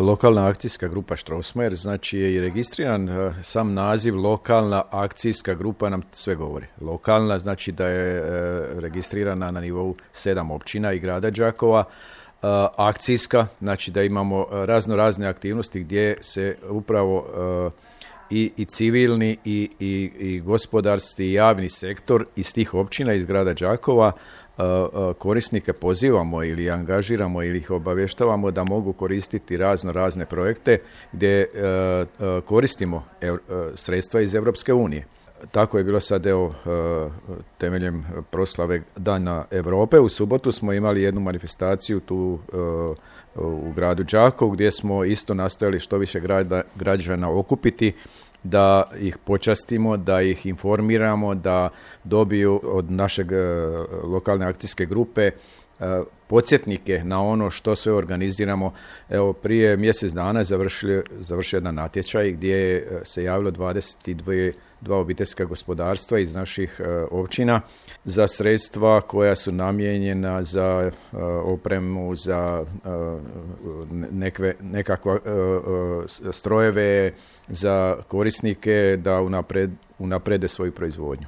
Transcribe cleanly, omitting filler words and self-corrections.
Lokalna akcijska grupa Strossmayer, znači je i registriran sam naziv lokalna akcijska grupa nam sve govori. Lokalna znači da je registrirana na nivou 7 općina i grada Đakova. Akcijska znači da imamo razne aktivnosti gdje se upravo i civilni i gospodarski i javni sektor iz tih općina iz grada Đakova korisnike pozivamo ili angažiramo ili ih obavještavamo da mogu koristiti razne projekte gdje koristimo sredstva iz Europske unije. Tako je bilo sad temeljem proslave Dana Europe. U subotu smo imali jednu manifestaciju tu u gradu Đakovu gdje smo isto nastojali što više građana okupiti, da ih počastimo, da ih informiramo, da dobiju od našeg lokalne akcijske grupe podsjetnike na ono što sve organiziramo. Evo, prije mjesec dana završio jedan natječaj gdje se javilo 22 obiteljska gospodarstva iz naših općina za sredstva koja su namijenjena za opremu, za nekakva strojeve, za korisnike da unaprede svoju proizvodnju.